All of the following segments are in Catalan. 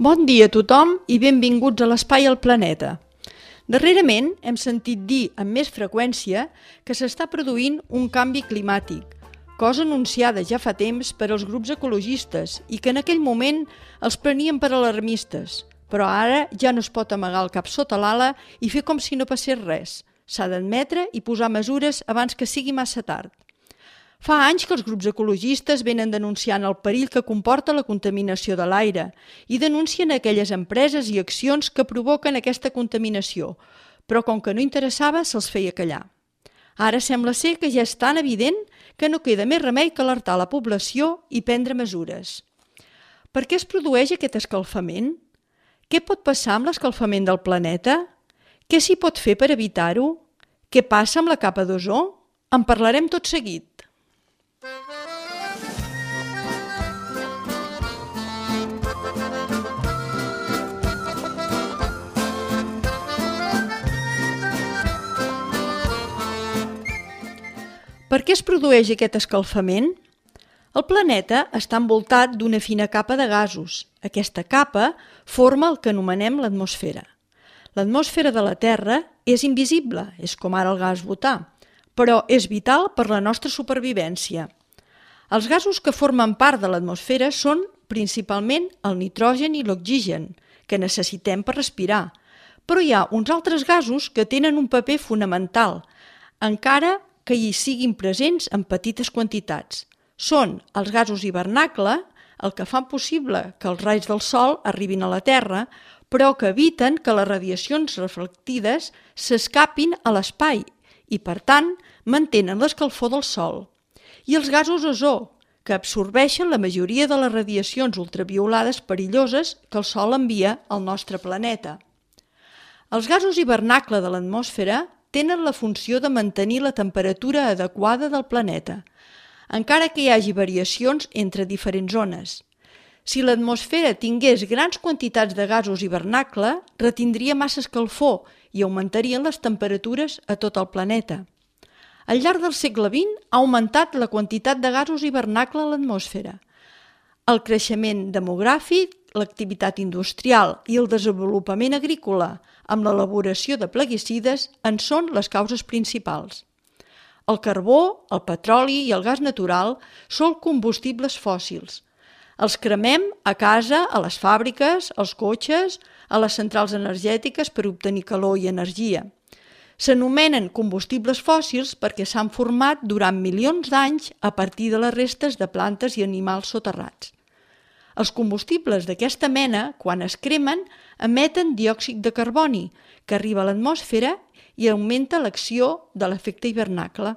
Bon dia a tothom i benvinguts a l'Espai al Planeta. Darrerament hem sentit dir amb més freqüència que s'està produint un canvi climàtic, cosa anunciada ja fa temps per als grups ecologistes i que en aquell moment els prenien per alarmistes, però ara ja no es pot amagar el cap sota l'ala i fer com si no passés res. S'ha d'admetre i posar mesures abans que sigui massa tard. Fa anys que els grups ecologistes venen denunciant el perill que comporta la contaminació de l'aire i denuncien aquelles empreses i accions que provoquen aquesta contaminació, però com que no interessava se'ls feia callar. Ara sembla ser que ja és tan evident que no queda més remei que alertar la població i prendre mesures. Per què es produeix aquest escalfament? Què pot passar amb l'escalfament del planeta? Què s'hi pot fer per evitar-ho? Què passa amb la capa d'ozó? En parlarem tot seguit. Per què es produeix aquest escalfament? El planeta està envoltat d'una fina capa de gasos. Aquesta capa forma el que anomenem l'atmosfera. L'atmosfera de la Terra és invisible, és com ara el gas butà, però és vital per la nostra supervivència. Els gasos que formen part de l'atmosfera són principalment el nitrogen i l'oxigen, que necessitem per respirar, però hi ha uns altres gasos que tenen un paper fonamental, encara que hi siguin presents en petites quantitats. Són els gasos hivernacle, el que fan possible que els raigs del sol arribin a la Terra, però que eviten que les radiacions reflectides s'escapin a l'espai i, per tant, mantenen l'escalfor del sol. I els gasos ozó, que absorbeixen la majoria de les radiacions ultraviolades perilloses que el sol envia al nostre planeta. Els gasos hivernacle de l'atmosfera tenen la funció de mantenir la temperatura adequada del planeta, encara que hi hagi variacions entre diferents zones. Si l'atmosfera tingués grans quantitats de gasos hivernacle, retindria massa escalfor i augmentarien les temperatures a tot el planeta. Al llarg del segle XX ha augmentat la quantitat de gasos hivernacle a l'atmosfera. El creixement demogràfic, l'activitat industrial i el desenvolupament agrícola amb l'elaboració de plaguicides en són les causes principals. El carbó, el petroli i el gas natural són combustibles fòssils. Els cremem a casa, a les fàbriques, als cotxes, a les centrals energètiques per obtenir calor i energia. S'anomenen combustibles fòssils perquè s'han format durant milions d'anys a partir de les restes de plantes i animals soterrats. Els combustibles d'aquesta mena, quan es cremen, emeten diòxid de carboni, que arriba a l'atmosfera i augmenta l'acció de l'efecte hivernacle.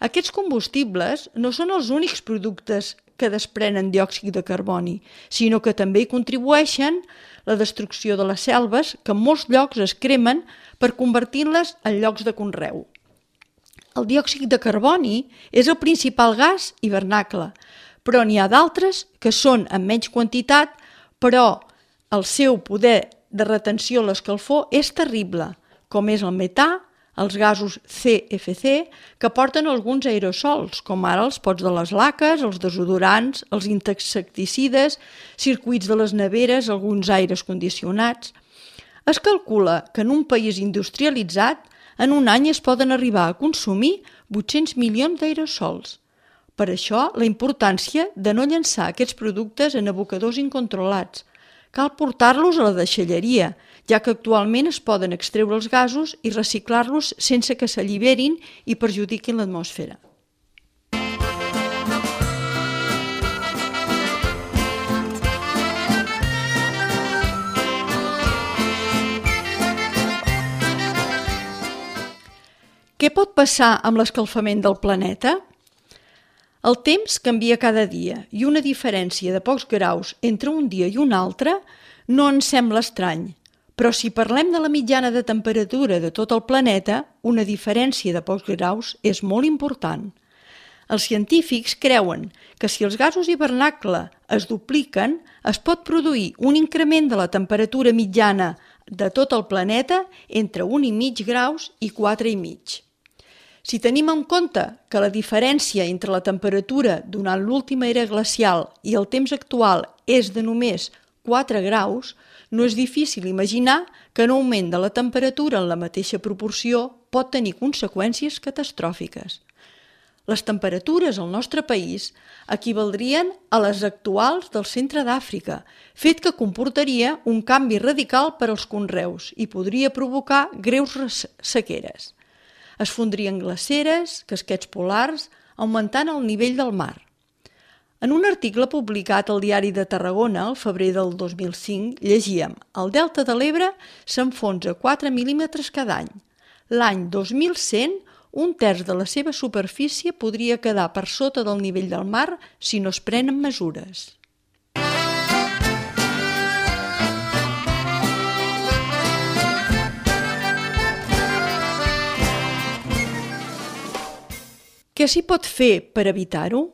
Aquests combustibles no són els únics productes que desprenen diòxid de carboni, sinó que també hi contribueixen la destrucció de les selves, que en molts llocs es cremen per convertir-les en llocs de conreu. El diòxid de carboni és el principal gas hivernacle, però n'hi ha d'altres que són en menys quantitat, però el seu poder de retenció a l'escalfor és terrible, com és el metà, els gasos CFC, que porten alguns aerosols, com ara els pots de les laques, els desodorants, els insecticides, circuits de les neveres, alguns aires condicionats. Es calcula que en un país industrialitzat en un any es poden arribar a consumir 800 milions d'aerosols. Per això, la importància de no llançar aquests productes en abocadors incontrolats. Cal portar-los a la deixalleria, ja que actualment es poden extreure els gasos i reciclar-los sense que s'alliberin i perjudiquin l'atmosfera. Què pot passar amb l'escalfament del planeta? El temps canvia cada dia i una diferència de pocs graus entre un dia i un altre no ens sembla estrany, però si parlem de la mitjana de temperatura de tot el planeta, una diferència de pocs graus és molt important. Els científics creuen que si els gasos hivernacle es dupliquen, es pot produir un increment de la temperatura mitjana de tot el planeta entre 1,5 graus i 4,5. Si tenim en compte que la diferència entre la temperatura durant l'última era glacial i el temps actual és de només 4 graus, no és difícil imaginar que un augment de la temperatura en la mateixa proporció pot tenir conseqüències catastròfiques. Les temperatures al nostre país equivaldrien a les actuals del centre d'Àfrica, fet que comportaria un canvi radical per als conreus i podria provocar greus sequeres. Es fondrien glaceres, casquets polars, augmentant el nivell del mar. En un article publicat al Diari de Tarragona, al febrer del 2005, llegíem: el delta de l'Ebre s'enfonsa 4 mil·límetres cada any. L'any 2100, un terç de la seva superfície podria quedar per sota del nivell del mar si no es prenen mesures. Què s'hi pot fer per evitar-ho?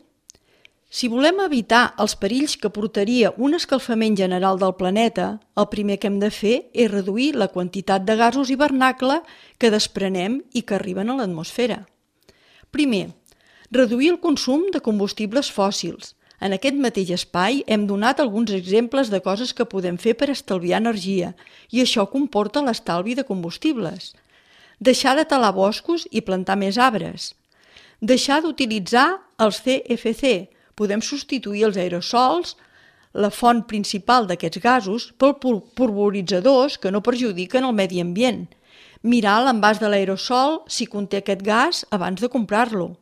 Si volem evitar els perills que portaria un escalfament general del planeta, el primer que hem de fer és reduir la quantitat de gasos hivernacle que desprenem i que arriben a l'atmosfera. Primer, reduir el consum de combustibles fòssils. En aquest mateix espai hem donat alguns exemples de coses que podem fer per estalviar energia, i això comporta l'estalvi de combustibles. Deixar de talar boscos i plantar més arbres. Deixar d'utilitzar els CFC. Podem substituir els aerosols, la font principal d'aquests gasos, per polvoritzadors que no perjudiquen el medi ambient. Mirar l'envàs de l'aerosol si conté aquest gas abans de comprar-lo.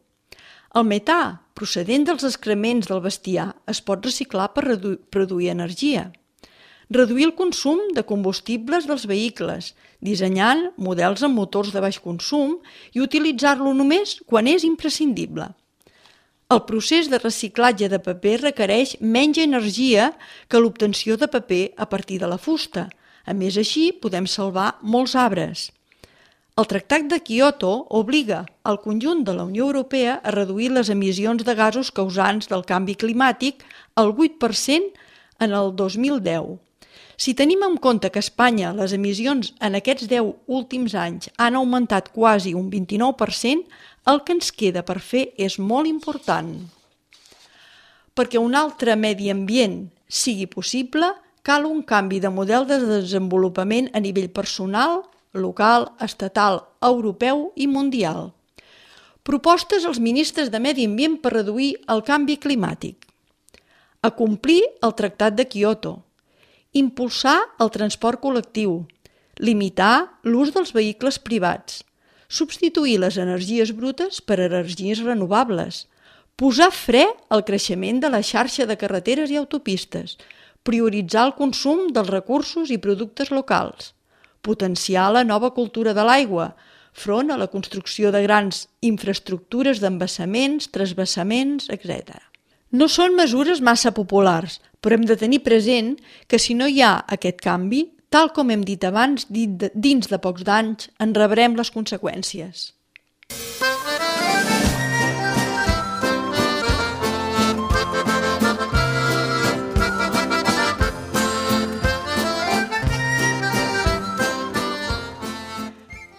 El metà, procedent dels excrements del bestiar, es pot reciclar per produir energia. Reduir el consum de combustibles dels vehicles, dissenyant models amb motors de baix consum i utilitzar-lo només quan és imprescindible. El procés de reciclatge de paper requereix menys energia que l'obtenció de paper a partir de la fusta. A més, així podem salvar molts arbres. El Tractat de Kyoto obliga al conjunt de la Unió Europea a reduir les emissions de gasos causants del canvi climàtic al 8% en el 2010. Si tenim en compte que a Espanya les emissions en aquests 10 últims anys han augmentat quasi un 29%, el que ens queda per fer és molt important. Perquè un altre medi ambient sigui possible, cal un canvi de model de desenvolupament a nivell personal, local, estatal, europeu i mundial. Propostes als ministres de Medi Ambient per reduir el canvi climàtic. Acomplir el Tractat de Kyoto. Impulsar el transport col·lectiu. Limitar l'ús dels vehicles privats. Substituir les energies brutes per energies renovables, posar fre al creixement de la xarxa de carreteres i autopistes, prioritzar el consum dels recursos i productes locals, potenciar la nova cultura de l'aigua, front a la construcció de grans infraestructures d'embassaments, transvassaments, etc. No són mesures massa populars, però hem de tenir present que si no hi ha aquest canvi, tal com hem dit abans, dins de pocs d'anys en rebrem les conseqüències.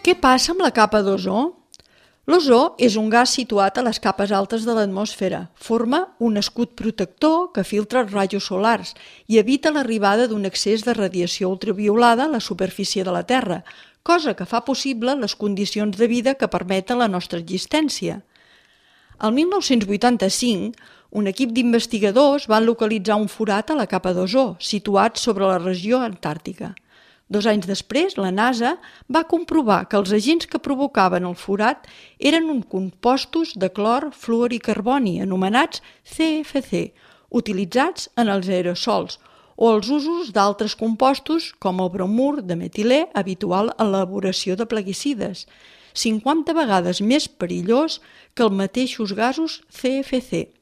Què passa amb la capa d'ozó? L'ozó és un gas situat a les capes altes de l'atmosfera. Forma un escut protector que filtra els rajos solars i evita l'arribada d'un excés de radiació ultraviolada a la superfície de la Terra, cosa que fa possible les condicions de vida que permeten la nostra existència. El 1985, un equip d'investigadors van localitzar un forat a la capa d'ozó, situat sobre la regió antàrtica. 2 anys després, la NASA va comprovar que els agents que provocaven el forat eren uns compostos de clor, fluor i carboni, anomenats CFC, utilitzats en els aerosols o els usos d'altres compostos com el bromur de metilè habitual en l'elaboració de plaguicides, 50 vegades més perillós que els mateixos gasos CFC.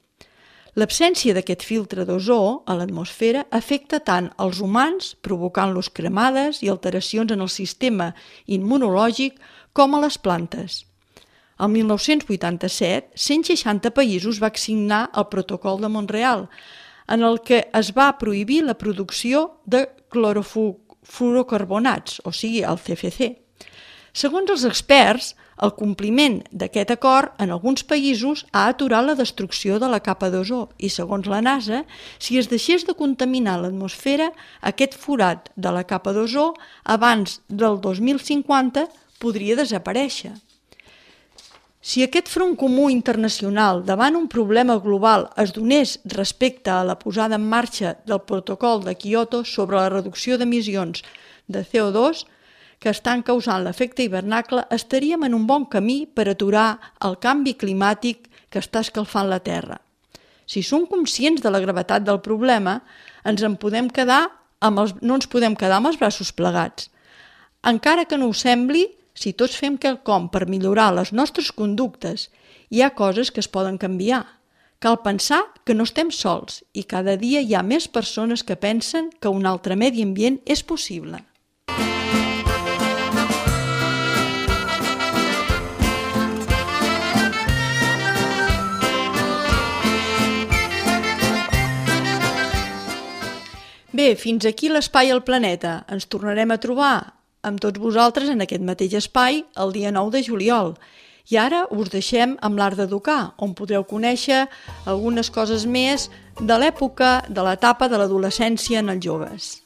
L'absència d'aquest filtre d'ozó a l'atmosfera afecta tant als humans, provocant-los cremades i alteracions en el sistema immunològic, com a les plantes. El 1987, 160 països van signar el Protocol de Montreal, en el que es va prohibir la producció de clorofluorocarbonats, o sigui, el CFC. Segons els experts, el compliment d'aquest acord en alguns països ha aturat la destrucció de la capa d'ozó i, segons la NASA, si es deixés de contaminar l'atmosfera, aquest forat de la capa d'ozó abans del 2050 podria desaparèixer. Si aquest front comú internacional davant un problema global es donés respecte a la posada en marxa del protocol de Kyoto sobre la reducció d'emissions de CO2 que estan causant l'efecte hivernacle, estaríem en un bon camí per aturar el canvi climàtic que està escalfant la Terra. Si som conscients de la gravetat del problema, no ens podem quedar amb els braços plegats. Encara que no ho sembli, si tots fem quelcom per millorar les nostres conductes, hi ha coses que es poden canviar. Cal pensar que no estem sols i cada dia hi ha més persones que pensen que un altre medi ambient és possible. Bé, fins aquí l'Espai al Planeta. Ens tornarem a trobar amb tots vosaltres en aquest mateix espai el dia 9 de juliol. I ara us deixem amb l'Art d'Educar, on podreu conèixer algunes coses més de l'època de l'etapa de l'adolescència en els joves.